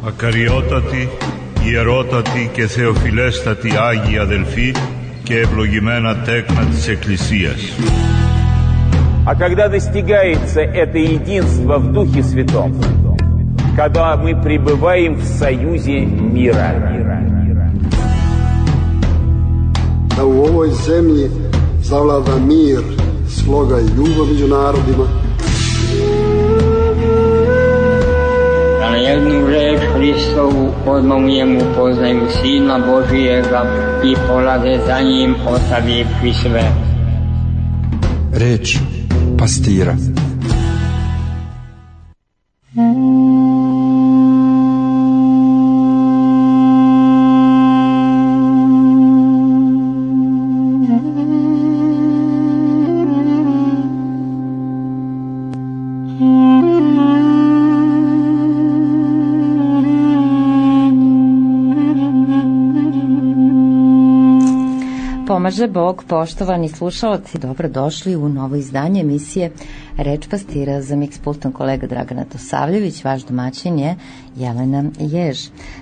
Ακαριότατοι, ιερότατοι και θεοφιλέστατοι Άγιοι αδελφοί και ευλογημένα τέκνα της Εκκλησίας. А когда достигается это единство в Духе Святом, когда мы пребываем в союзе мира. Da u ovoj zemlji zavlada mir, sloga i ljubav među narodima. Da na jednu reč Hristovu odmah poznaju Sina Božijega i polaze za njim ostavivši sve. Reč pastira. Pomaže Bog, poštovani slušalci, dobrodošli u novo izdanje emisije Reč pastira. Za miks pultom kolega Dragan Tosavljević, vaš domaćin je Jelena Jež.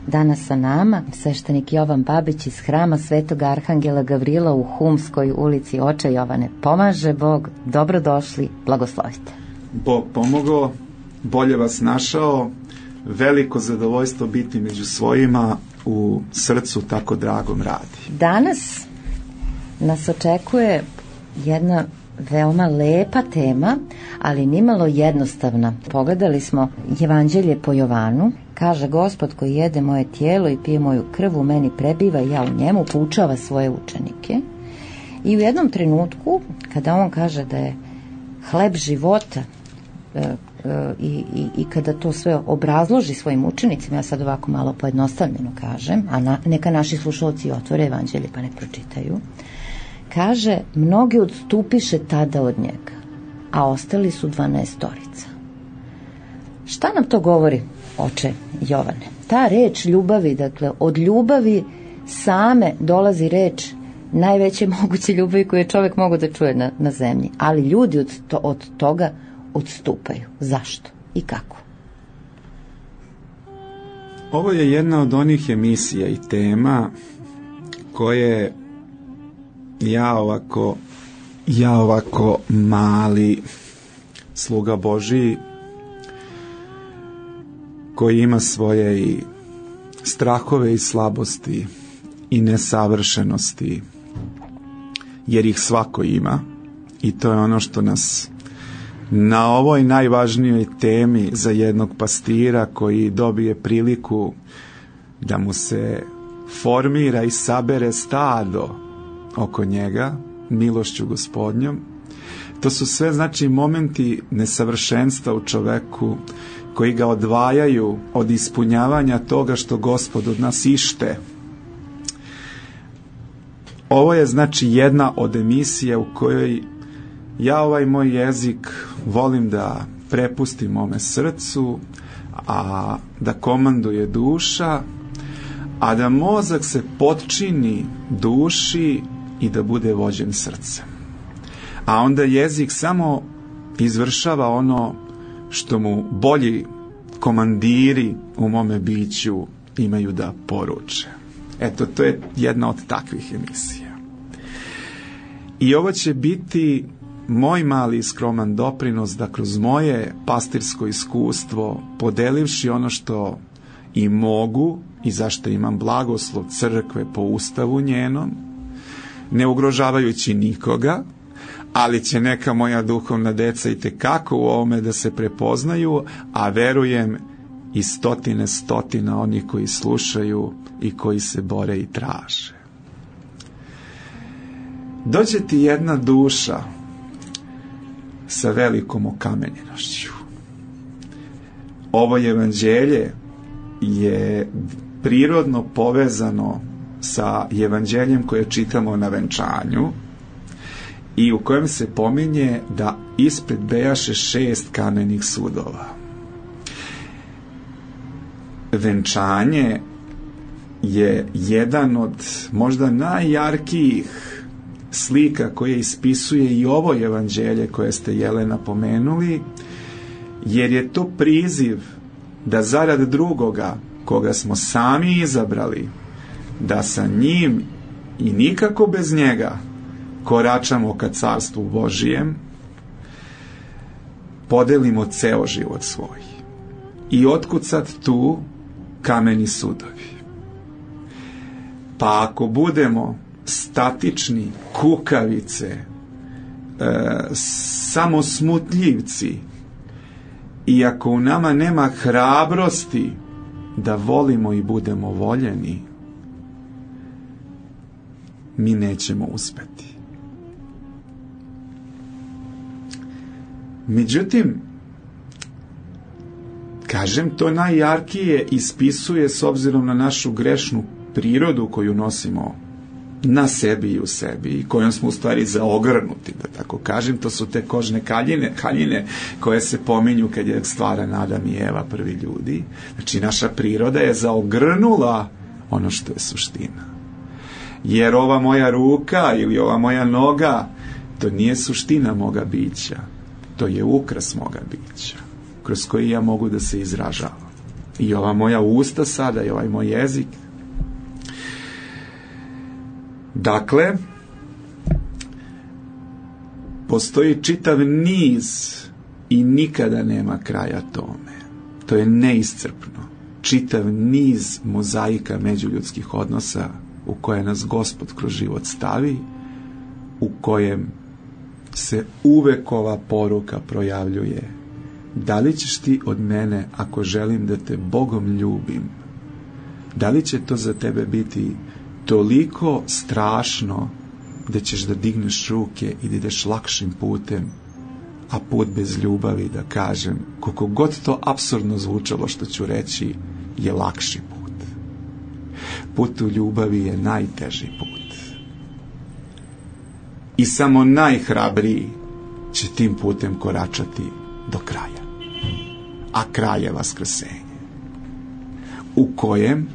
Danas sa nama sveštenik Jovan Babić iz hrama Svetog Arhangela Gavrila u Humskoj ulici. Oče Jovane, pomaže Bog, dobrodošli, blagoslovite. Bog pomogao, bolje vas našao, veliko zadovoljstvo biti među svojima, u srcu tako dragom radi. Danas nas očekuje jedna veoma lepa tema, ali nimalo jednostavna. Pogledali smo Evanđelje po Jovanu. Kaže, Gospod koji jede moje tijelo i pije moju krv u meni prebiva i ja u njemu, poučava svoje učenike. I u jednom trenutku, kada on kaže da je hleb života i kada to sve obrazloži svojim učenicima, ja sad ovako malo pojednostavljeno kažem, a neka naši slušalci otvore Evanđelje pa ne pročitaju, kaže, mnogi odstupiše tada od njega, a ostali su 12. Šta nam to govori, oče Jovane? Ta reč ljubavi, dakle, od ljubavi same dolazi reč najveće moguće ljubavi koju je čovjek mogao da čuje na zemlji, ali ljudi od toga odstupaju. Zašto i kako? Ovo je jedna od onih emisija i tema koje ja ovako mali sluga Božiji koji ima svoje i strahove i slabosti i nesavršenosti, jer ih svako ima, i to je ono što nas na ovoj najvažnijoj temi za jednog pastira koji dobije priliku da mu se formira i sabere stado oko njega, milošću Gospodnjom. To su sve, znači, momenti nesavršenstva u čoveku koji ga odvajaju od ispunjavanja toga što Gospod od nas ište. Ovo je, znači, jedna od emisija u kojoj ja ovaj moj jezik volim da prepustim mome srcu, a da komanduje duša, a da mozak se potčini duši i da bude vođen srcem. A onda jezik samo izvršava ono što mu bolji komandiri u mome biću imaju da poruče. Eto, to je jedna od takvih emisija. I ovo će biti moj mali skroman doprinos da kroz moje pastirsko iskustvo, podelivši ono što i mogu i zašto imam blagoslov crkve po ustavu njenom, ne ugrožavajući nikoga, ali će neka moja duhovna deca itekako u ovome da se prepoznaju, a verujem i stotina onih koji slušaju i koji se bore i traže. Dođe ti jedna duša sa velikom okamenjenošću. Ovo evanđelje je prirodno povezano sa evanđeljem koje čitamo na venčanju i u kojem se pominje da ispred bejaše 6 kamenih sudova. Venčanje je jedan od možda najjarkijih slika koje ispisuje i ovo evanđelje koje ste, Jelena, pomenuli, jer je to priziv da zarad drugoga koga smo sami izabrali, da sa njim i nikako bez njega koračamo ka carstvu Božijem, podelimo ceo život svoj. I otkud sad tu kameni sudovi? Pa ako budemo statični, kukavice, samo smutljivci, i ako u nama nema hrabrosti da volimo i budemo voljeni, mi nećemo uspeti. Međutim, kažem, to najjarkije ispisuje s obzirom na našu grešnu prirodu koju nosimo na sebi i u sebi i kojom smo u stvari zaogrnuti, da tako kažem. To su te kožne haljine koje se pominju kad je stvaran Adam i Eva, prvi ljudi. Znači, naša priroda je zaogrnula ono što je suština. Jer ova moja ruka ili ova moja noga, to nije suština moga bića. To je ukras moga bića, kroz koji ja mogu da se izražavam. I ova moja usta sada, i ovaj moj jezik. Dakle, postoji čitav niz i nikada nema kraja tome. To je neiscrpno. Čitav niz mozaika međuljudskih odnosa u koje nas Gospod kroz život stavi, u kojem se uvek ova poruka projavljuje: da li ćeš ti od mene, ako želim da te Bogom ljubim, da li će to za tebe biti toliko strašno da ćeš da digneš ruke i da ideš lakšim putem, a put bez ljubavi, da kažem, koliko god to apsurdno zvučalo što ću reći, je lakši put. Put u ljubavi je najteži put. I samo najhrabriji će tim putem koračati do kraja. A kraj je vaskrsenje, u kojem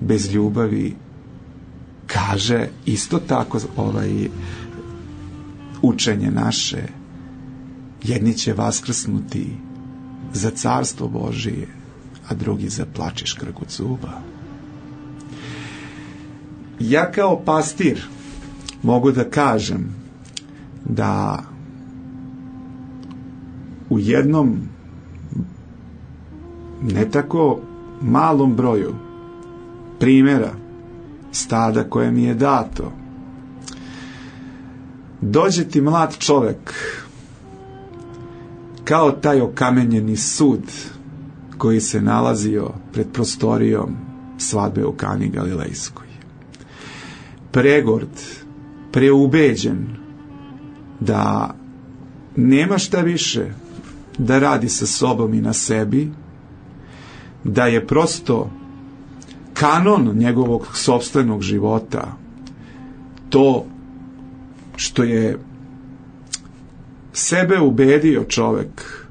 bez ljubavi, kaže isto tako učenje naše, jedni će vaskrsnuti za carstvo Božije, a drugi za plač i škrgut zuba. Ja kao pastir mogu da kažem da u jednom ne tako malom broju primjera stada koje mi je dato, dođe ti mlad čovek kao taj okamenjeni sud koji se nalazio pred prostorijom svadbe u Kani Galilejskoj, pregord, preubeđen da nema šta više da radi sa sobom i na sebi, da je prosto kanon njegovog sopstvenog života to što je sebe ubedio čovek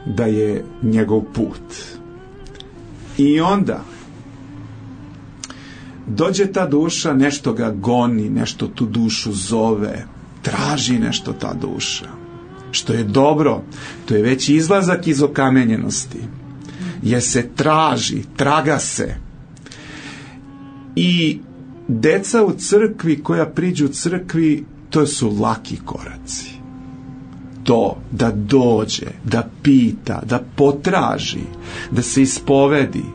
da je njegov put. I onda dođe ta duša, nešto ga goni, nešto tu dušu zove, traži nešto ta duša, što je dobro, to je već izlazak iz okamenjenosti, jer se traži, traga se. I deca u crkvi koja priđu crkvi, to su laki koraci. To da dođe, da pita, da potraži, da se ispovedi.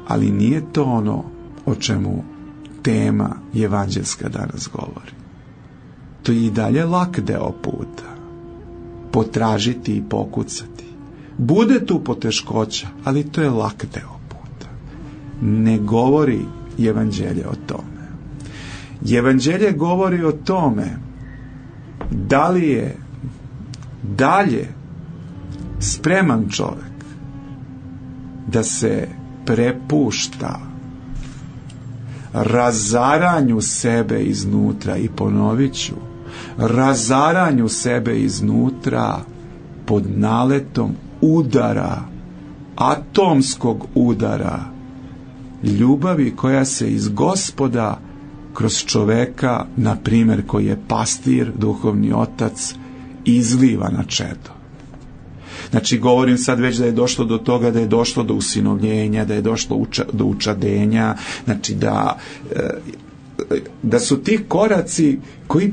Ali nije to ono o čemu tema evanđelska danas govori. To je i dalje lak deo puta. Potražiti i pokucati. Bude tu poteškoća, ali to je lak deo puta. Ne govori evanđelje o tome. Evanđelje govori o tome da li je dalje spreman čovek da se prepušta razaranju sebe iznutra, i ponovit ću, razaranju sebe iznutra pod naletom udara, atomskog udara ljubavi koja se iz Gospoda kroz čoveka, na primjer koji je pastir, duhovni otac, izliva na čedo. Znači, govorim sad već da je došlo do toga, da je došlo do usinovljenja, da je došlo do učadenja, znači da su ti koraci koji,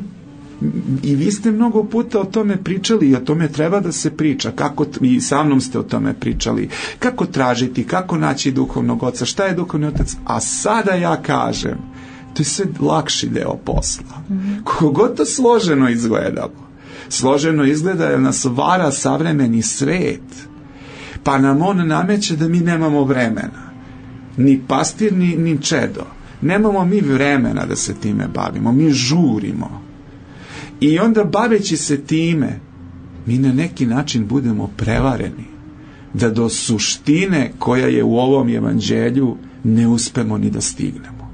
i vi ste mnogo puta o tome pričali i o tome treba da se priča, kako, i sa mnom ste o tome pričali, kako tražiti, kako naći duhovnog oca, šta je duhovni otac, a sada ja kažem, to je sve lakši deo posla. Kogod to složeno izgledalo. Složeno izgleda jer nas vara savremeni svet, pa nam on nameće da mi nemamo vremena. Ni pastir, ni čedo. Nemamo mi vremena da se time bavimo, mi žurimo. I onda baveći se time, mi na neki način budemo prevareni, da do suštine koja je u ovom evanđelju ne uspemo ni da stignemo.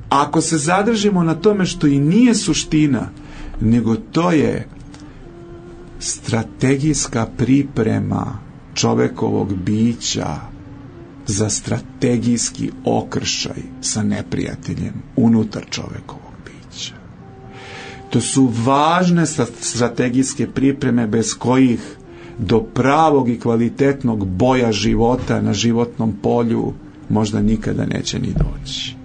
Ako se zadržimo na tome što i nije suština, nego to je strategijska priprema čovekovog bića za strategijski okršaj sa neprijateljem unutar čovekovog bića. To su važne strategijske pripreme bez kojih do pravog i kvalitetnog boja života na životnom polju možda nikada neće ni doći.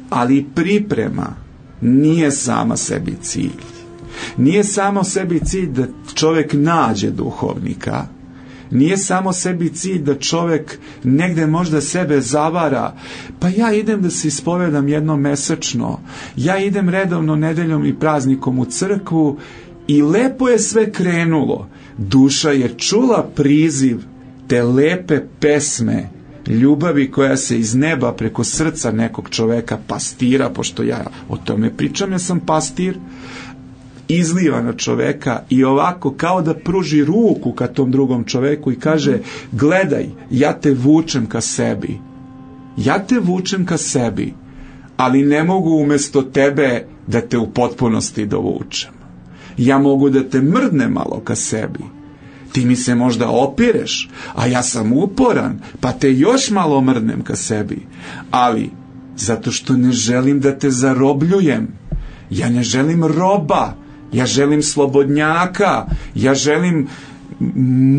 Ali priprema nije sama sebi cilj. Nije samo sebi cilj da čovjek nađe duhovnika, nije samo sebi cilj da čovjek negde možda sebe zavara, pa ja idem da se ispovedam jednom mesečno, ja idem redovno nedeljom i praznikom u crkvu i lepo je sve krenulo. Duša je čula priziv te lepe pesme ljubavi koja se iz neba preko srca nekog čoveka, pastira, pošto ja o tome pričam, ja sam pastir, izliva na čoveka i ovako kao da pruži ruku ka tom drugom čoveku i kaže, gledaj, ja te vučem ka sebi. Ja te vučem ka sebi, ali ne mogu umjesto tebe da te u potpunosti dovučem. Ja mogu da te mrdnem malo ka sebi. Ti mi se možda opireš, a ja sam uporan, pa te još malo mrdnem ka sebi. Ali, zato što ne želim da te zarobljujem. Ja ne želim roba, ja želim slobodnjaka, ja želim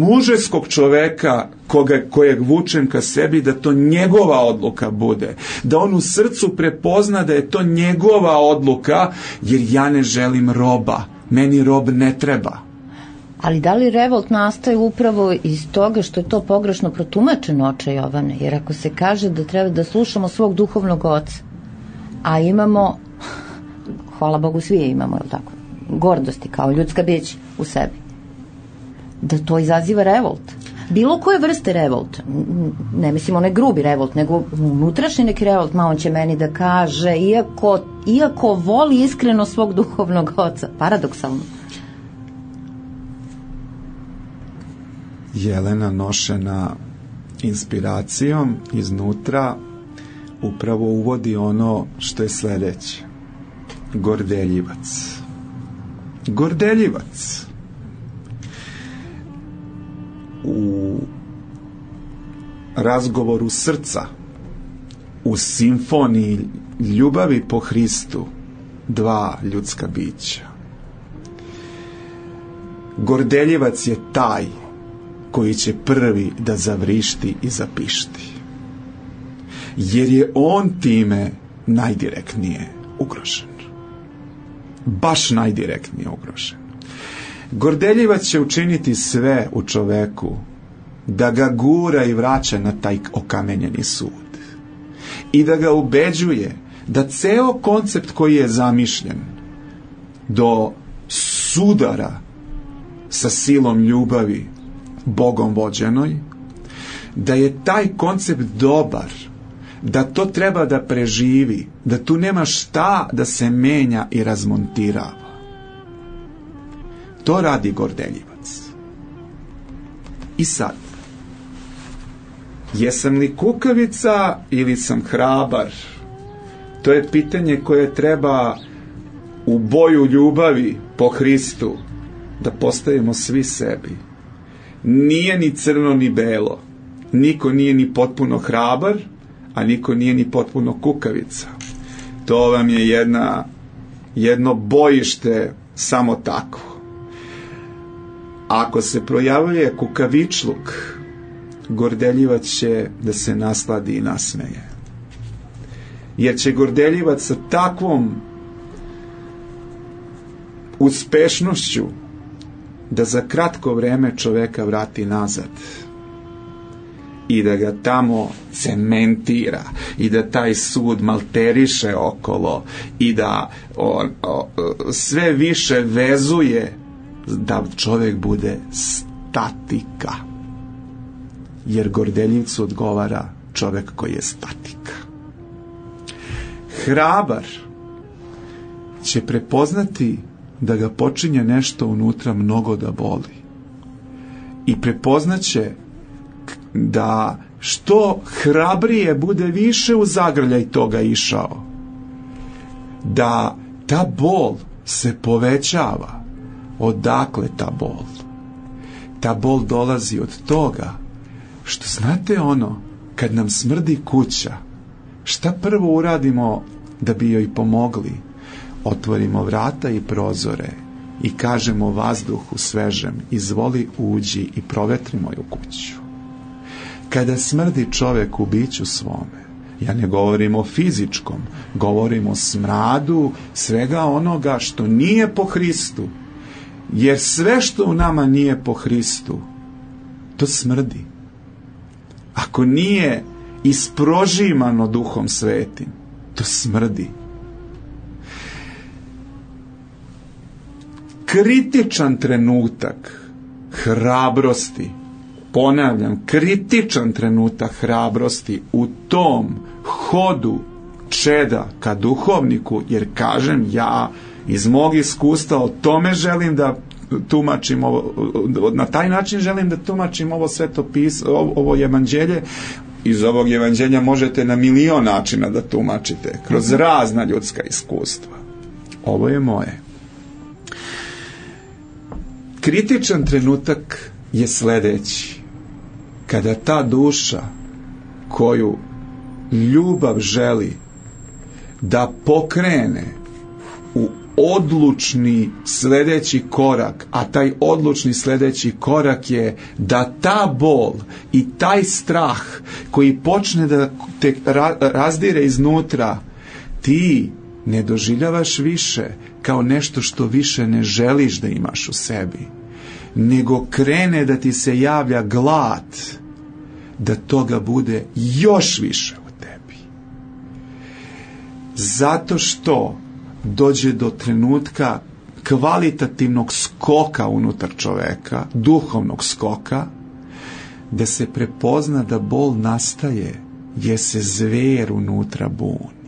mužeskog čoveka kojeg vučem ka sebi, da to njegova odluka bude. Da on u srcu prepozna da je to njegova odluka, jer ja ne želim roba. Meni rob ne treba. Ali da li revolt nastaje upravo iz toga što je to pogrešno protumačeno, oče Jovane? Jer ako se kaže da treba da slušamo svog duhovnog oca, a imamo, hvala Bogu svi je imamo, je tako, gordosti kao ljudska bića u sebi, da to izaziva revolt. Bilo koje vrste revolta, ne mislim onaj grubi revolt, nego unutrašnji neki revolt, ma on će meni da kaže, iako voli iskreno svog duhovnog oca, paradoksalno. Jelena, nošena inspiracijom iznutra, upravo uvodi ono što je sledeće. Gordeljivac. Gordeljivac. U razgovoru srca, u simfoniji ljubavi po Hristu, dva ljudska bića. Gordeljivac je taj koji će prvi da zavrišti i zapišti. Jer je on time najdirektnije ugrožen. Baš najdirektnije ugrožen. Gordeljivac će učiniti sve u čoveku da ga gura i vraća na taj okamenjeni sud. I da ga ubeđuje da ceo koncept koji je zamišljen do sudara sa silom ljubavi Bogom vođenoj, da je taj koncept dobar, da to treba da preživi, da tu nema šta da se menja i razmontirava. To radi gordeljivac. I sad, jesam li kukavica ili sam hrabar? To je pitanje koje treba u boju ljubavi po Hristu da postavimo svi sebi. Nije ni crno ni belo. Niko nije ni potpuno hrabar, a niko nije ni potpuno kukavica. To vam je jedno bojište samo tako. ako se projavljuje kukavičluk, gordeljivac će da se nasladi i nasmeje. Jer će gordeljivac sa takvom uspešnošću da za kratko vreme čoveka vrati nazad i da ga tamo cementira i da taj sud malteriše okolo i da sve više vezuje da čovek bude statika. Jer gordeljivcu odgovara čovek koji je statika. Hrabar će prepoznati da ga počinje nešto unutra mnogo da boli. I prepoznaće da što hrabrije bude više u zagrljaj toga išao, da ta bol se povećava. Odakle ta bol? Ta bol dolazi od toga što, znate ono, kad nam smrdi kuća, šta prvo uradimo da bi joj pomogli? Otvorimo vrata i prozore i kažemo vazduhu svežem, izvoli uđi i provetri moju kuću. Kada smrdi čovek u biću svome, ja ne govorim o fizičkom, govorim o smradu svega onoga što nije po Hristu, jer sve što u nama nije po Hristu, to smrdi. Ako nije isprožimano Duhom Svetim, to smrdi. Kritičan trenutak hrabrosti, ponavljam, kritičan trenutak hrabrosti u tom hodu čeda ka duhovniku, jer kažem, ja iz mog iskustva o tome želim da tumačim ovo, na taj način želim da tumačim ovo ovo evanđelje. Iz ovog evanđelja možete na milion načina da tumačite, kroz razna ljudska iskustva. Ovo je moje. Kritičan trenutak je sledeći. Kada ta duša koju ljubav želi da pokrene u odlučni sledeći korak, a taj odlučni sledeći korak je da ta bol i taj strah koji počne da te razdire iznutra, ti ne doživljavaš više kao nešto što više ne želiš da imaš u sebi, nego krene da ti se javlja glad da toga bude još više u tebi. Zato što dođe do trenutka kvalitativnog skoka unutar čoveka, duhovnog skoka, da se prepozna da bol nastaje jer se zver unutra buni.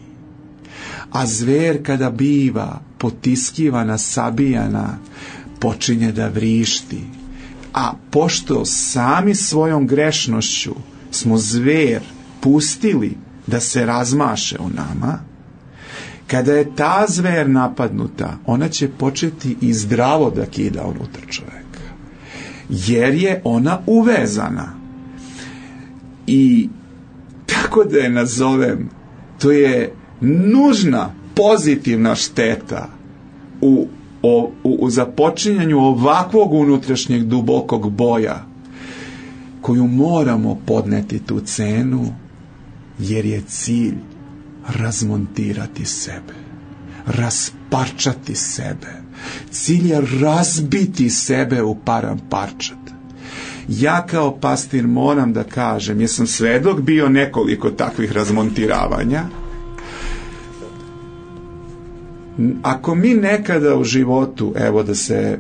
A zver kada biva potiskivana, sabijana, počinje da vrišti. A pošto sami svojom grešnošću smo zver pustili da se razmaše u nama, kada je ta zver napadnuta, ona će početi i zdravo da kida unutar čoveka. Jer je ona uvezana. I tako da je nazovem, to je nužna pozitivna šteta u započinjanju ovakvog unutrašnjeg dubokog boja, koju moramo podneti tu cenu, jer je cilj razmontirati sebe, rasparčati sebe. Cilj je razbiti sebe u param parčad. Ja kao pastir moram da kažem, jer sam svedok bio nekoliko takvih razmontiravanja. Ako mi nekada u životu, evo da se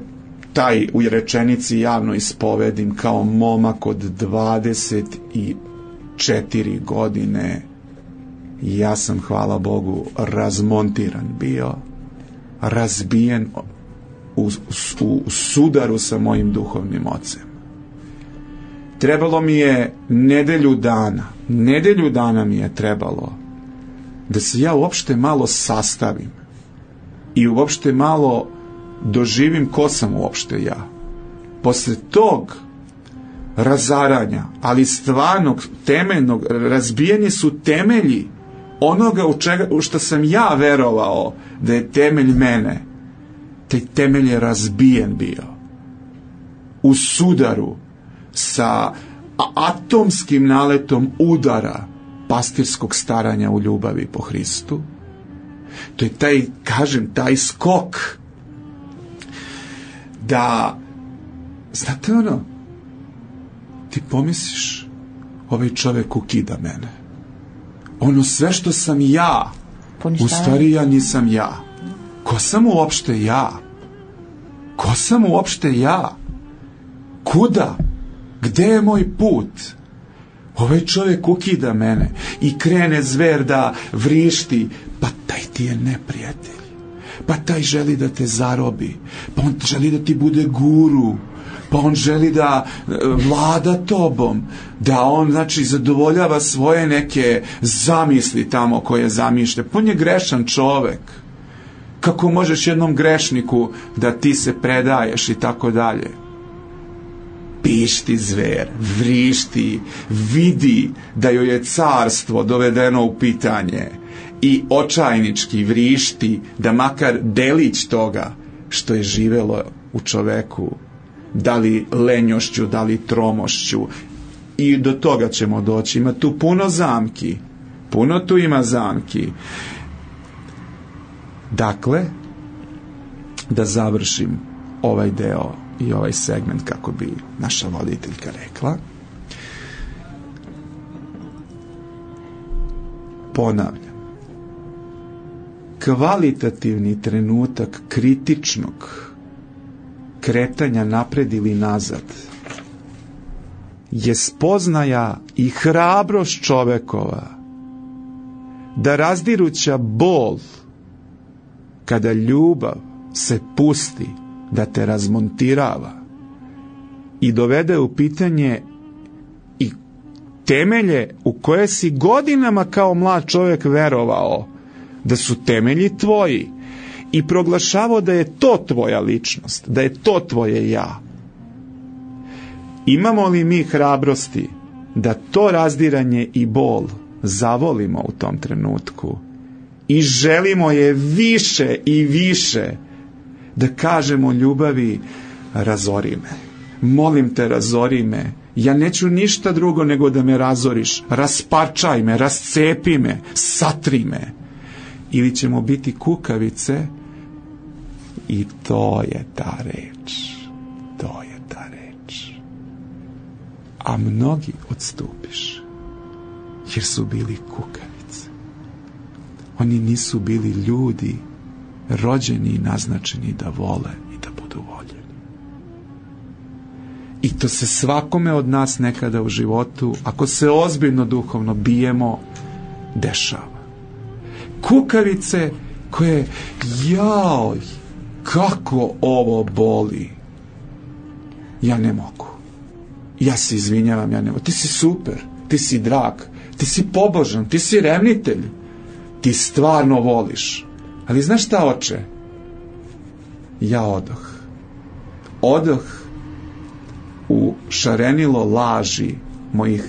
taj u rečenici javno ispovedim, kao momak od 24 godine, ja sam, hvala Bogu, razmontiran bio, razbijen u sudaru sa mojim duhovnim ocem. Trebalo mi je nedelju dana mi je trebalo da se ja uopšte malo sastavim i uopšte malo doživim ko sam uopšte ja. Posle tog razaranja, ali stvarnog, temeljnog, razbijeni su temelji onoga u što sam ja verovao da je temelj mene. Taj temelj je razbijen bio. u sudaru sa atomskim naletom udara pastirskog staranja u ljubavi po Hristu. To je taj, kažem, taj skok da, znate ono, ti pomisliš, ovaj čovjek ukida mene. Ono sve što sam ja, u stvari ja nisam ja. Ko sam uopšte ja? Ko sam uopšte ja? Kuda? Gde je moj put? Ovaj čovjek ukida mene i krene zver da vrišti. Pa taj ti je neprijatelj. Pa taj želi da te zarobi. Pa on želi da ti bude guru. Pa on želi da vlada tobom. Da on, znači, zadovoljava svoje neke zamisli tamo koje zamišlja. Pa on je grešan čovek. Kako možeš jednom grešniku da ti se predaješ i tako dalje? Pišti zver, vrišti, vidi da joj je carstvo dovedeno u pitanje i očajnički vrišti da makar delić toga što je živelo u čoveku, da li lenjošću, da li tromošću, i do toga ćemo doći. Ima tu puno zamki, puno tu ima zamki. Dakle, da završim ovaj deo i ovaj segment, kako bi naša voditeljka rekla, ponavljam, kvalitativni trenutak kritičnog kretanja napred ili nazad je spoznaja i hrabrost čovekova da razdiruća bol kada ljubav se pusti da te razmontirava i dovede u pitanje i temelje u koje si godinama kao mlad čovjek verovao da su temelji tvoji i proglašavao da je to tvoja ličnost, da je to tvoje ja. Imamo li mi hrabrosti da to razdiranje i bol zavolimo u tom trenutku i želimo je više i više, da kažemo ljubavi, razori me, molim te, razori me, ja neću ništa drugo nego da me razoriš, rasparčaj me, rascepi me, satri me. Ili ćemo biti kukavice i to je ta reč, to je ta reč. A mnogi odstupiš jer su bili kukavice. Oni nisu bili ljudi rođeni i naznačeni da vole i da budu voljeni. I to se svakome od nas nekada u životu, ako se ozbiljno duhovno bijemo, dešava. Kukavice koje, jaj, kako ovo boli, ja ne mogu, ja se izvinjavam, ja ne mogu. Ti si super, ti si drag, ti si pobožan, ti si revnitelj, ti stvarno voliš. Ali znaš šta, oče? Ja odoh u šarenilo laži mojih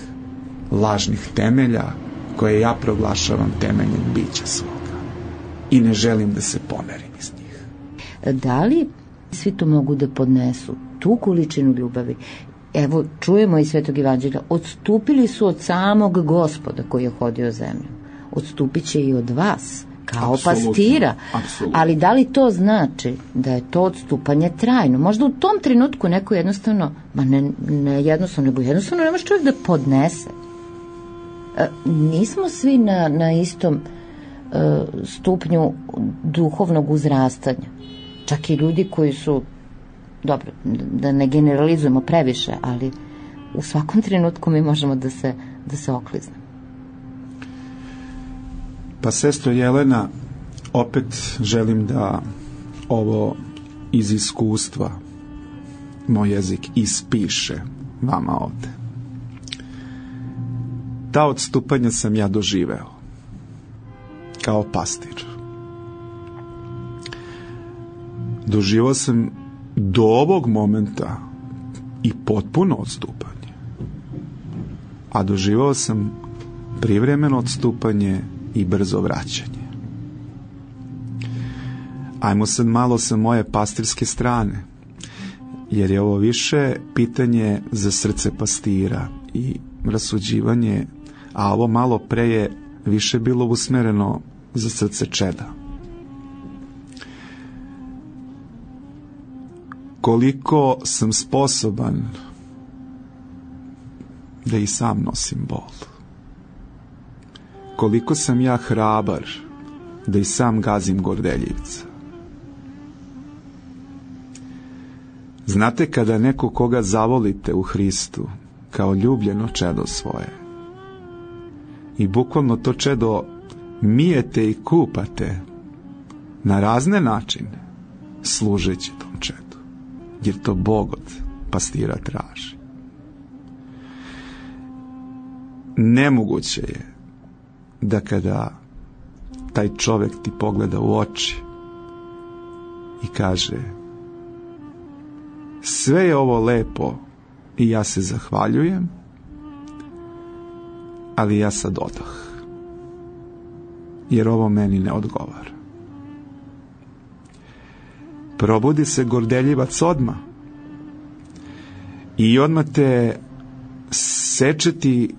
lažnih temelja koje ja proglašavam temeljem bića svoga i ne želim da se pomerim iz njih. Da li svi to mogu da podnesu, tu količinu ljubavi? Evo, čujemo iz Svetog Evanđelja, odstupili su od samog Gospoda koji je hodio zemljom. Odstupit će i od vas, kao apsolutno, pastira. Apsolutno. Ali da li to znači da je to odstupanje trajno? Možda u tom trenutku neko jednostavno, ne jednostavno, nego jednostavno ne može čovjek da podnese. Nismo svi na istom stupnju duhovnog uzrastanja. Čak i ljudi koji su, dobro, da ne generalizujemo previše, ali u svakom trenutku mi možemo da se okliznemo. Pa, sestro Jelena, opet želim da ovo iz iskustva moj jezik ispiše vama ovde. Ta odstupanja sam ja doživeo kao pastir. Doživao sam do ovog momenta i potpuno odstupanje. A doživao sam privremeno odstupanje i brzo vraćanje. Ajmo sad malo sa moje pastirske strane. jer je ovo više pitanje za srce pastira i rasuđivanje, a ovo malo pre je više bilo usmereno za srce čeda. Koliko sam sposoban da i sam nosim bol. Koliko sam ja hrabar da i sam gazim gordeljivca. Znate kada neko koga zavolite u Hristu kao ljubljeno čedo svoje i bukvalno to čedo mijete i kupate na razne načine služeći tom čedu, jer to Bog od pastira traži. Nemoguće je da kada taj čovjek ti pogleda u oči i kaže: sve je ovo lepo i ja se zahvaljujem, ali ja sad odah, jer ovo meni ne odgovara. Probudi se gordeljivac odmah i odmah te sečeti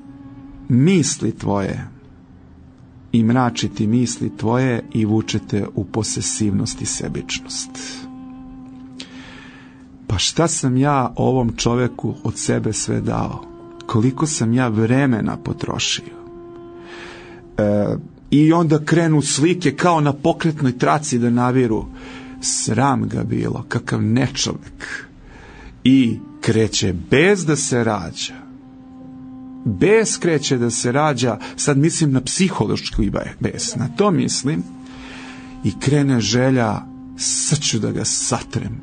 misli tvoje i mračiti misli tvoje i vučete u posesivnost i sebičnost. Pa šta sam ja ovom čoveku od sebe sve dao? Koliko sam ja vremena potrošio? I onda krenu slike kao na pokretnoj traci da naviru. Sram ga bilo, kakav nečovek. I kreće bez da se rađa. Bez kreće da se rađa, sad mislim na psihološku bes, na to mislim. I krene želja, sad ću da ga satrem.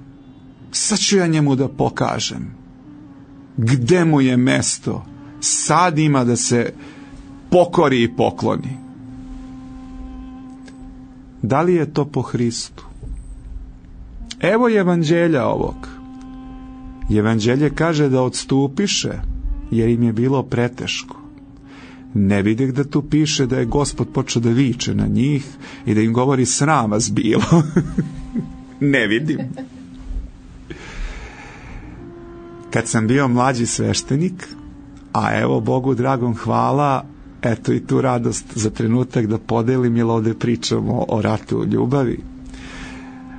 Sad ću ja njemu da pokažem gde mu je mesto. Sad ima da se pokori i pokloni. Da li je to po Hristu? Evo evanđelja ovog. Evanđelje kaže da odstupiše jer im je bilo preteško. Ne vidih da tu piše da je Gospod počeo da viče na njih i da im govori sram vas bilo. Ne vidim. Kad sam bio mlađi sveštenik, a evo Bogu dragom hvala, eto i tu radost za trenutak da podelim, jer ovdje pričamo o ratu u ljubavi.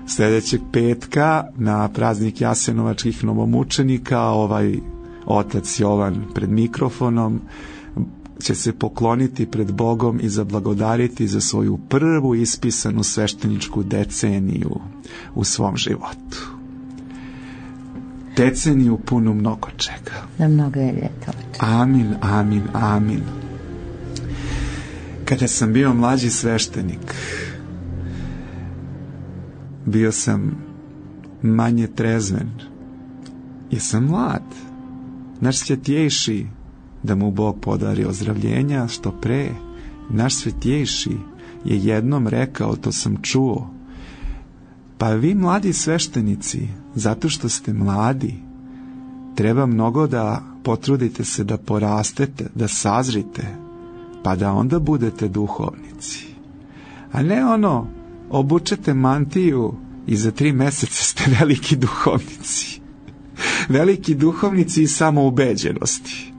Sljedećeg petka na praznik jasenovačkih novomučenika ovaj otac Jovan pred mikrofonom će se pokloniti pred Bogom i zablagodariti za svoju prvu ispisanu svešteničku deceniju u svom životu. Deceniju punu mnogo čega. Na mnogo je ljeta. Amin, amin, amin. Kada sam bio mlađi sveštenik, bio sam manje trezven, jer sam mlad. Naš svetjejši, da mu Bog podari ozdravljenja što pre, naš svetjejši je jednom rekao, to sam čuo: pa vi mladi sveštenici, zato što ste mladi, treba mnogo da potrudite se da porastete, da sazrite, pa da onda budete duhovnici. A ne ono, obučete mantiju i za 3 meseca ste veliki duhovnici. Veliki duhovnici iz samoubeđenosti,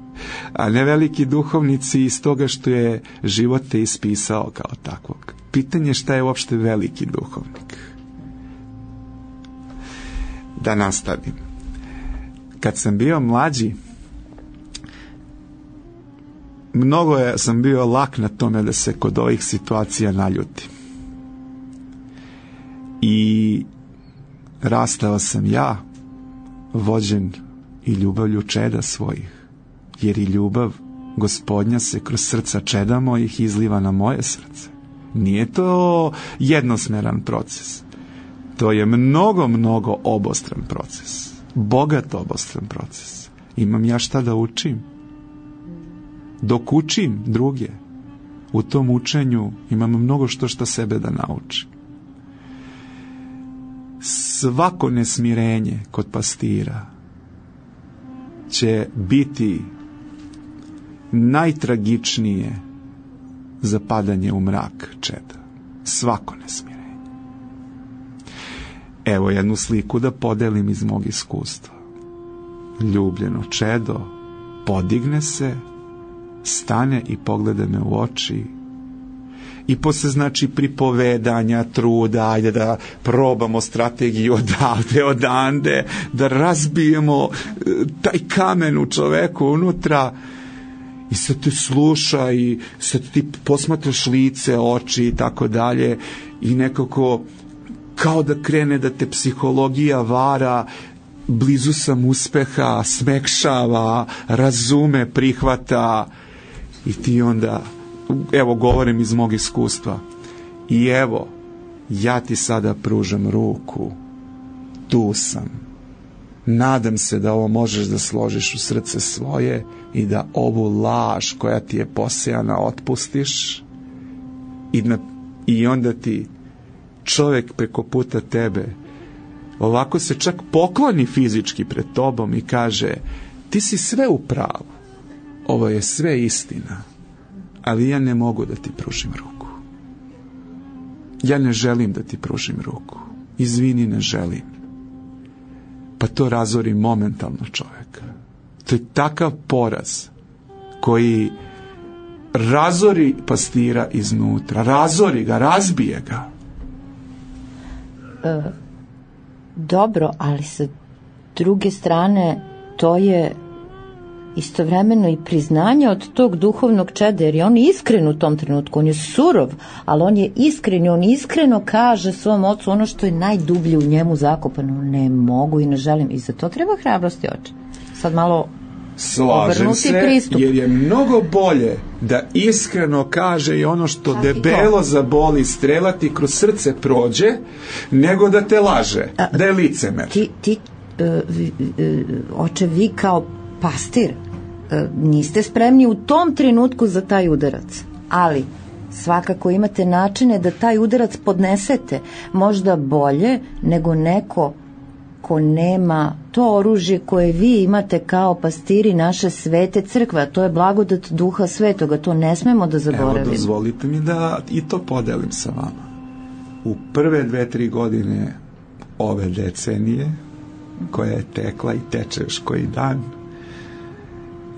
a ne veliki duhovnici iz toga što je život te ispisao kao takvog. Pitanje je šta je uopšte veliki duhovnik. Da nastavim. Kad sam bio mlađi, mnogo sam bio lak na tome da se kod ovih situacija naljutim. I rastao sam ja, vođen i ljubavlju čeda svojih, jer i ljubav Gospodnja se kroz srca čeda mojih izliva na moje srce. Nije to jednosmeran proces. To je mnogo, mnogo obostran proces. Bogat obostran proces. Imam ja šta da učim. Dok učim druge, u tom učenju imam mnogo što sebe da naučim. Svako nesmirenje kod pastira će biti najtragičnije zapadanje u mrak čeda. Svako nesmirenje. Evo jednu sliku da podelim iz mog iskustva. ljubljeno čedo podigne se, stane i pogleda me u oči i posle, znači, pripovedanja, truda, ajde da probamo strategiju odavde, odande, da razbijemo taj kamen u čoveku unutra, i sad te sluša i sad ti posmatraš lice, oči i tako dalje, i nekako kao da krene da te psihologija vara, blizu sam uspeha, smekšava, razume, prihvata, i ti onda, evo, govorim iz mog iskustva, i evo, ja ti sada pružam ruku, tu sam, nadam se da ovo možeš da složiš u srce svoje i da ovu laž koja ti je posejana otpustiš, i onda ti čovjek preko puta tebe ovako se čak pokloni fizički pred tobom i kaže: ti si sve u pravu, ovo je sve istina, ali ja ne mogu da ti pružim ruku, ja ne želim da ti pružim ruku, izvini, ne želim. Pa to razori momentalno čovjeka. To je takav poraz koji razori pastira iznutra, razori ga, razbije ga. Dobro, ali sa druge strane to je istovremeno i priznanje od tog duhovnog čeda, jer je on iskren u tom trenutku, on je surov, ali on je iskren i on iskreno kaže svom ocu ono što je najdublje u njemu zakopano: ne mogu i ne želim. I za to treba hrabrosti, oče. Sad malo slažem se, pristup. Jer je mnogo bolje da iskreno kaže i ono što debelo zaboli, strela ti kroz srce prođe, nego da te laže, da je licemer. Oče, vi kao pastir niste spremni u tom trenutku za taj udarac, ali svakako imate načine da taj udarac podnesete, možda bolje nego neko ko nema to oružje koje vi imate kao pastiri naše svete crkve, a to je blagodat Duha Svetoga, to ne smemo da zaboravimo. Evo, dozvolite mi da i to podelim sa vama. U prve 2-3 godine ove decenije, koja je tekla i teče još koji dan,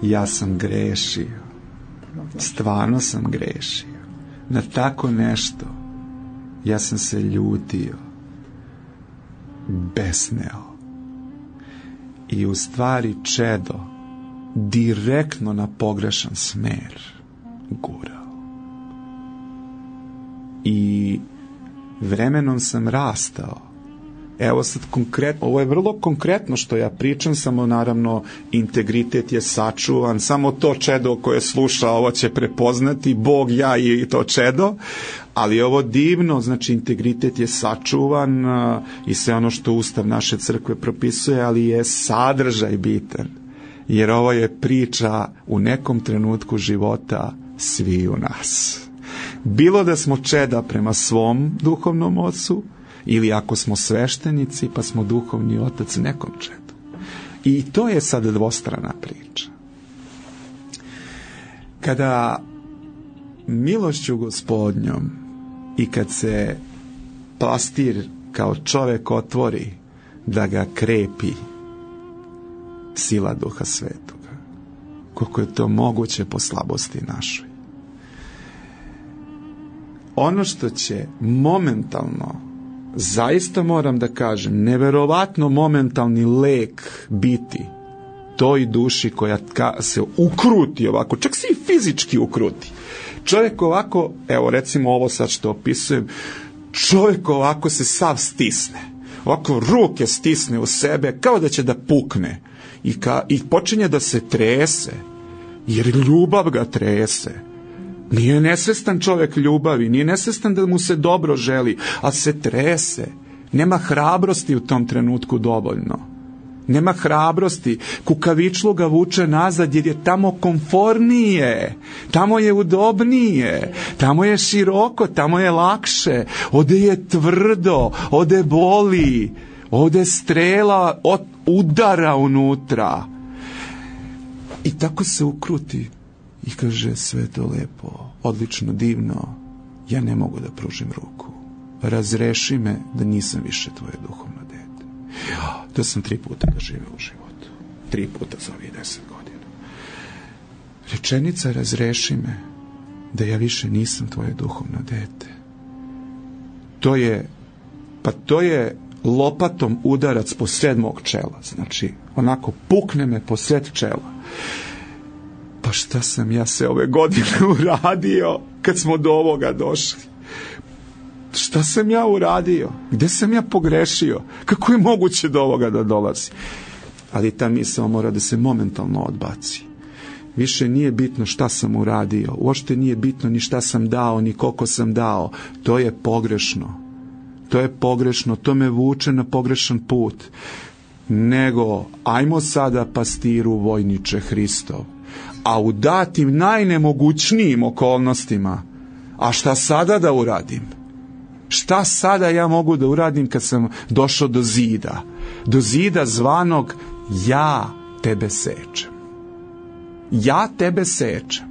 ja sam grešio. Stvarno sam grešio. Na tako nešto ja sam se ljutio, besneo i u stvari čedo direktno na pogrešan smer gurao. I vremenom sam rastao. Evo sad konkretno, ovo je vrlo konkretno što ja pričam, samo naravno integritet je sačuvan, samo to čedo koje sluša ovo će prepoznati, Bog, ja i to čedo, ali je ovo divno, znači integritet je sačuvan i sve ono što Ustav naše crkve propisuje, ali je sadržaj bitan, jer ovo je priča u nekom trenutku života svi u nas. Bilo da smo čeda prema svom duhovnom ocu, ili ako smo sveštenici pa smo duhovni otac nekom čedu. I to je sad dvostrana priča. Kada milošću Gospodnjom i kad se pastir kao čovjek otvori da ga krepi sila Duha Svetoga, koliko je to moguće po slabosti našoj, ono što će momentalno, zaista moram da kažem, neverovatno momentalni lek biti toj duši koja se ukruti ovako, čak se i fizički ukruti. Čovjek ovako, evo recimo ovo sad što opisujem, čovjek ovako se sav stisne, ovako ruke stisne u sebe kao da će da pukne i počinje da se trese, jer ljubav ga trese. Nije nesvestan čovjek ljubavi, nije nesvestan da mu se dobro želi, a se trese. Nema hrabrosti u tom trenutku dovoljno. Nema hrabrosti. Kukavičluk ga vuče nazad jer je tamo komfornije, tamo je udobnije, tamo je široko, tamo je lakše. Ovdje je tvrdo, ovdje boli, ovdje strela udara unutra. I tako se ukruti. I kaže, sve to lepo, odlično, divno, ja ne mogu da pružim ruku. Razreši me da nisam više tvoje duhovno dete. To sam 3 puta doživeo u životu. 3 puta za ovih 10 godina. Rečenica razreši me da ja više nisam tvoje duhovno dete. To je lopatom udarac po sred mog čela. Znači, onako pukne me po sred čela. Pa šta sam ja se ove godine uradio kad smo do ovoga došli? Šta sam ja uradio? Gde sam ja pogrešio? Kako je moguće do ovoga da dolazi? Ali ta misao mora da se momentalno odbaci. Više nije bitno šta sam uradio. Uopšte nije bitno ni šta sam dao, ni koliko sam dao. To je pogrešno. To je pogrešno. To me vuče na pogrešan put. Nego, ajmo sada pastiru vojniče Hristov. A u datim najnemogućnijim okolnostima, a šta sada da uradim? Šta sada ja mogu da uradim kad sam došao do zida? Do zida zvanog ja tebe sečem. Ja tebe sečem.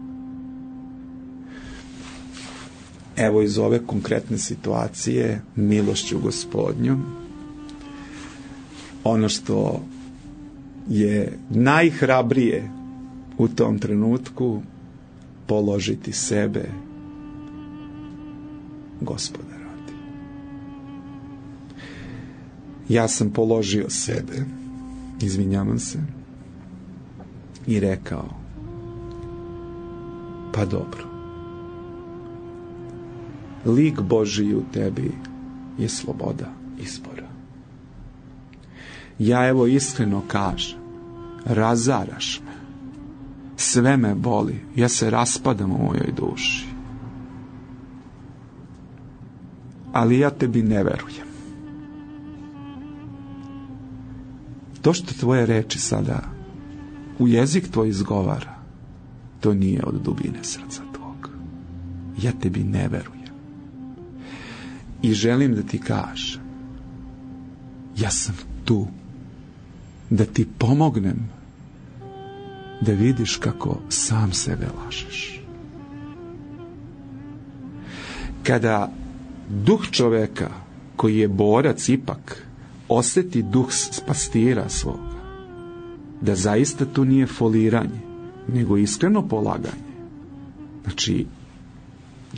Evo iz ove konkretne situacije, milošću Gospodnjom, ono što je najhrabrije u tom trenutku, položiti sebe Gospoda radi. Ja sam položio sebe, izvinjavam se, i rekao, pa dobro, lik Božiji u tebi je sloboda izbora. Ja evo iskreno kažem, razaraš me, sve me boli, ja se raspadam u mojoj duši. Ali ja tebi ne verujem. To što tvoje reči sada u jezik tvoj izgovara, to nije od dubine srca tvog. Ja tebi ne verujem. I želim da ti kažem, ja sam tu da ti pomognem da vidiš kako sam sebe lažeš. Kada duh čoveka koji je borac ipak osjeti duh pastira svoga, da zaista tu nije foliranje, nego iskreno polaganje. Znači,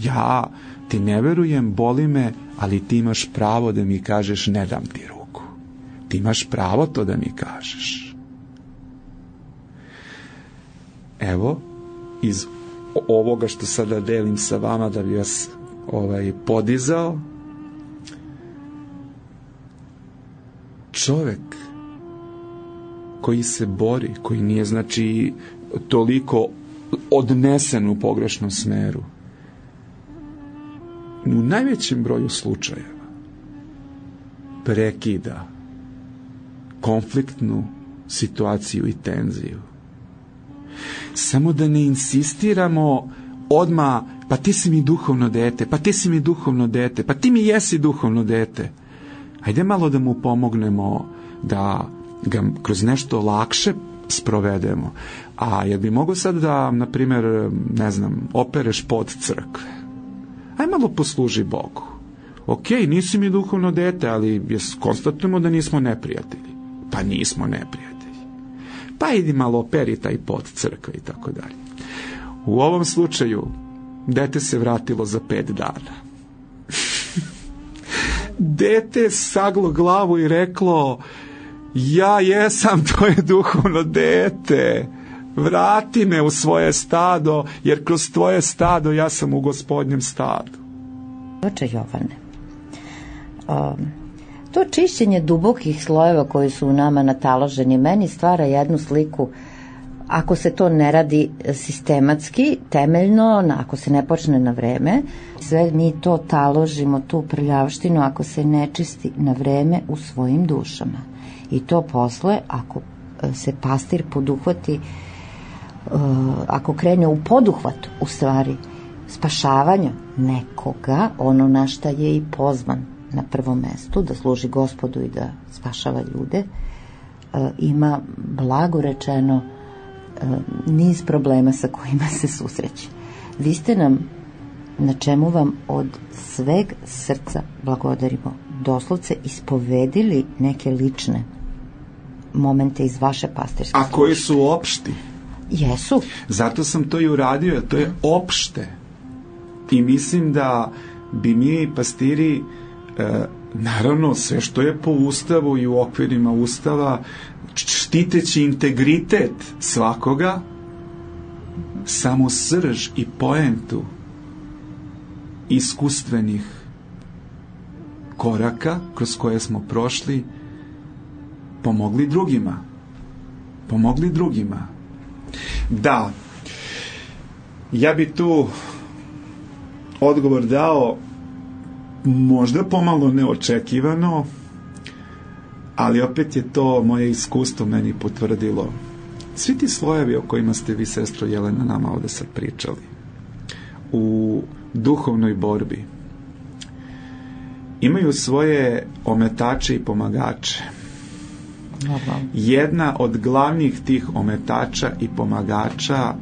ja ti ne verujem, boli me, ali ti imaš pravo da mi kažeš ne dam ti ruku. Ti imaš pravo to da mi kažeš. Evo, iz ovoga što sada delim sa vama da bi vas podizao, čovek koji se bori, koji nije znači toliko odnesen u pogrešnom smeru, u najvećem broju slučajeva prekida konfliktnu situaciju i tenziju. Samo da ne insistiramo odmah, pa ti si mi duhovno dete, pa ti si mi duhovno dete, pa ti mi jesi duhovno dete. Hajde malo da mu pomognemo da ga kroz nešto lakše sprovedemo. A jel bi mogo sad da, na primjer, ne znam, opereš pod crkve? Aj malo posluži Bogu. Ok, nisi mi duhovno dete, ali konstatujemo da nismo neprijatelji. Pa nismo neprijatelji. Pa idi malo operi taj pod crkve i tako dalje. U ovom slučaju dete se vratilo za 5 dana. Dete saglo glavu i reklo, ja jesam tvoje duhovno dete, vrati me u svoje stado, jer kroz tvoje stado ja sam u Gospodnjem stadu. Oče Jovane, to čišćenje dubokih slojeva koji su u nama nataloženi meni stvara jednu sliku, ako se to ne radi sistematski, temeljno, ako se ne počne na vreme, sve mi to taložimo, tu prljavštinu, ako se ne čisti na vreme u svojim dušama. I to posle, ako se pastir poduhvati, ako krene u poduhvat, u stvari, spašavanja nekoga, ono na šta je i pozvan na prvom mestu, da služi Gospodu i da spašava ljude, ima, blago rečeno, niz problema sa kojima se susreće. Vi ste nam, na čemu vam od sveg srca blagodarimo, doslovce ispovedili neke lične momente iz vaše pastirske službe. A koji su opšti? Jesu. Zato sam to i uradio, jer to je opšte. I mislim da bi mi pastiri, naravno sve što je po Ustavu i u okvirima Ustava, štiteći integritet svakoga, samo srž i poentu iskustvenih koraka kroz koje smo prošli, pomogli drugima. Da, ja bi tu odgovor dao možda pomalo neočekivano, ali opet je to moje iskustvo meni potvrdilo. Svi ti slojevi o kojima ste vi, sestro Jelena, nama ovde sad pričali, u duhovnoj borbi, imaju svoje ometače i pomagače. Jedna od glavnih tih ometača i pomagača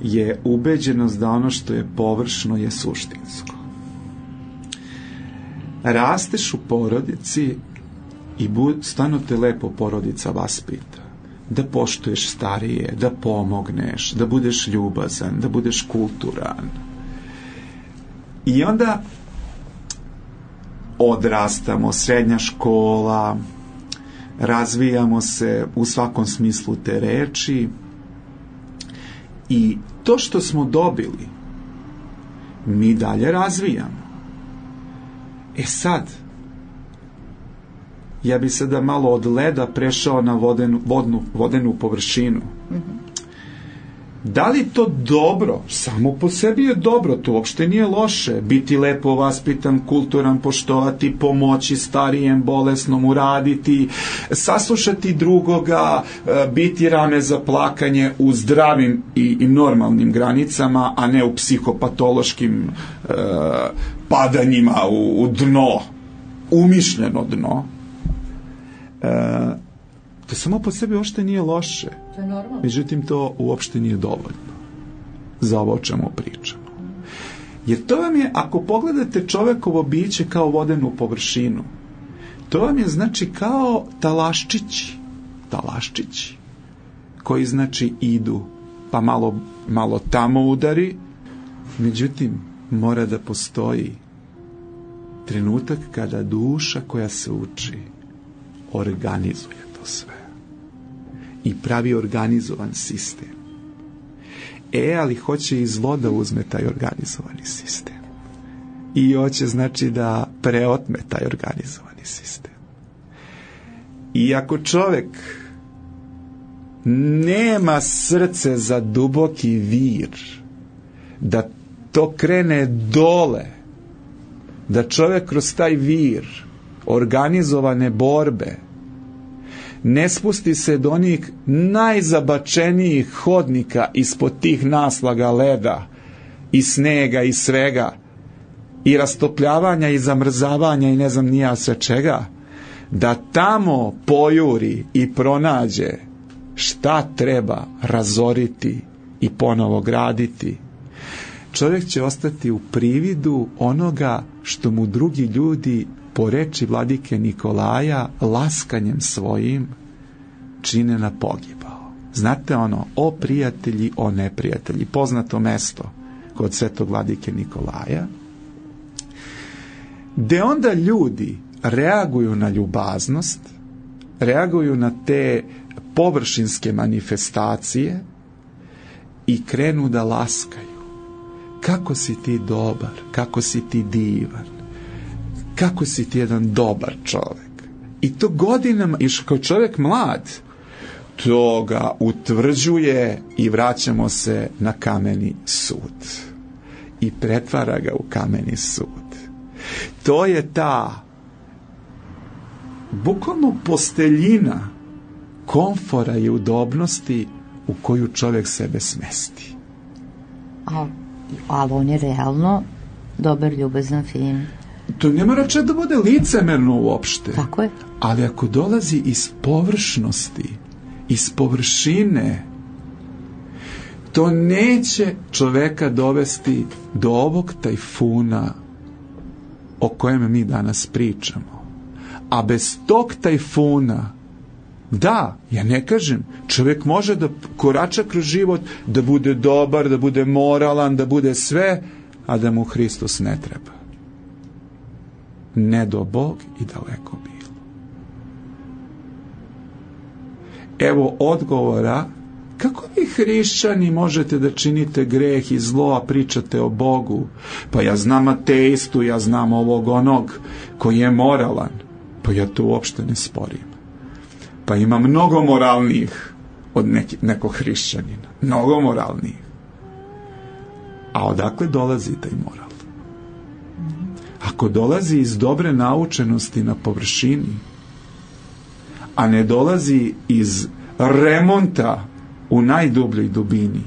je ubeđenost da ono što je površno je suštinsko. Rasteš u porodici i stvarno te lepo porodica vaspita. Da poštuješ starije, da pomogneš, da budeš ljubazan, da budeš kulturan. I onda odrastamo, srednja škola, razvijamo se u svakom smislu te reči i to što smo dobili mi dalje razvijamo. Sad ja bi sada malo od leda prešao na vodenu površinu. Da li to dobro? Samo po sebi je dobro, to uopšte nije loše. Biti lepo vaspitan, kulturan, poštovati, pomoći starijem, bolesnom, uraditi, saslušati drugoga, biti rame za plakanje u zdravim i normalnim granicama, a ne u psihopatološkim padanjima u dno, umišljeno dno. To samo po sebi uopšte nije loše. To je normalno. Međutim, to uopšte nije dovoljno za ovo o čemu pričamo. Jer to vam je, ako pogledate čovekovo biće kao vodenu površinu, to vam je znači kao talaščići koji znači idu, pa malo tamo udari, međutim, mora da postoji trenutak kada duša koja se uči organizuje to sve i pravi organizovan sistem. Ali hoće iz voda uzme taj organizovani sistem i hoće znači da preotme taj organizovani sistem. I ako čovek nema srce za duboki vir, da to krene dole, da čovek kroz taj vir organizovane borbe ne spusti se do onih najzabačenijih hodnika ispod tih naslaga leda i snega i svega i rastopljavanja i zamrzavanja i ne znam nija sve čega, da tamo pojuri i pronađe šta treba razoriti i ponovo graditi, čovjek će ostati u prividu onoga što mu drugi ljudi, po reči vladike Nikolaja, laskanjem svojim čine na pogibao. Znate ono, o prijatelji, o neprijatelji, poznato mesto kod svetog vladike Nikolaja, gde onda ljudi reaguju na ljubaznost, reaguju na te površinske manifestacije i krenu da laskaju. Kako si ti dobar, kako si ti divan, kako si ti jedan dobar čovjek. I to godinama, i kao čovjek mlad, to ga utvrđuje i vraćamo se na kameni sud. I pretvara ga u kameni sud. To je ta bukvalno posteljina komfora i udobnosti u koju čovjek sebe smesti. Ali on je realno dobar, ljubazan, fin. To ne mora čak da bude licemerno uopšte. Tako je. Ali ako dolazi iz površnosti, iz površine, to neće čoveka dovesti do ovog tajfuna o kojem mi danas pričamo. A bez tog tajfuna Da, ja ne kažem, čovjek može da korača kroz život, da bude dobar, da bude moralan, da bude sve, a da mu Hristos ne treba. Ne do Bog i daleko bilo. Evo odgovora, kako vi hrišćani možete da činite greh i zlo, a pričate o Bogu? Pa ja znam ateistu, ja znam ovog onog koji je moralan. Pa ja to uopšte ne sporim. Pa ima mnogo moralnijih od nekog hrišćanina. Mnogo moralnijih. A odakle dolazi taj moral? Ako dolazi iz dobre naučenosti na površini, a ne dolazi iz remonta u najdubljoj dubini,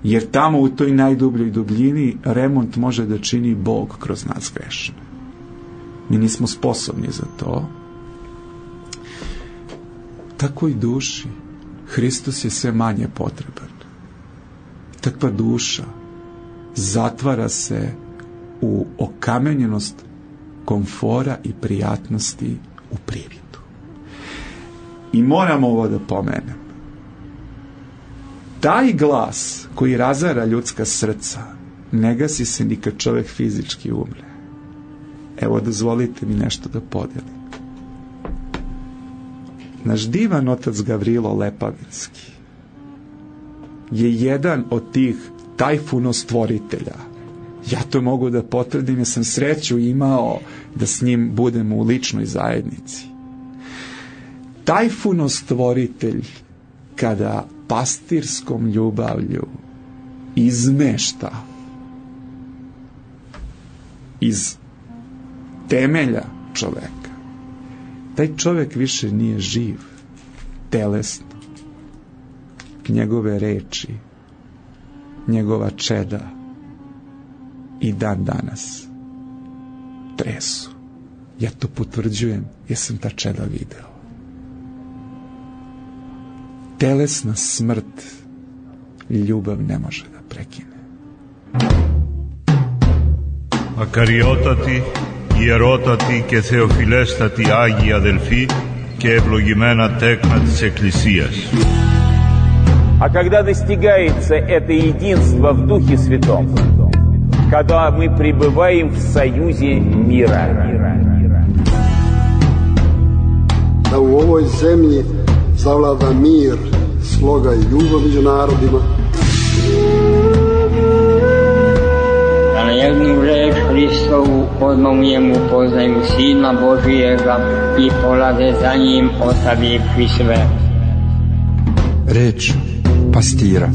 jer tamo u toj najdubljoj dubljini remont može da čini Bog kroz nas grešne. Mi nismo sposobni za to. Tako i duši. Hristos je sve manje potreban. Takva duša zatvara se u okamenjenost komfora i prijatnosti u prividu. I moram ovo da pomenem. Taj glas koji razara ljudska srca ne gasi se ni kad čovjek fizički umre. Evo, dozvolite mi nešto da podelim. Naš divan otac Gavrilo Lepavinski je jedan od tih tajfunostvoritelja. Ja to mogu da potvrdim, jer sam sreću imao da s njim budem u ličnoj zajednici. Tajfunostvoritelj, kada pastirskom ljubavlju izmešta iz temelja čoveka, taj čovek više nije živ telesno. Njegove reči, njegova čeda i dan danas tresu. Ja to potvrđujem jer sam ta čeda video. Telesna smrt ljubav ne može da prekine. Ακαριότατη, ιερότατη και θεοφιλέστατη Άγια Αδελφή και ευλογημένα τέκνα της Εκκλησίας. А когда достигается это единство в Духе Святом, когда мы пребываем в союзе мира. Da u ovoj zemlji zavlada mir, sloga i ljubav među narodima. Da na jednu reč Hristovu odmah u njemu poznaju Sina Božijega i polaze za njim ostavivši sve. Reč pastira.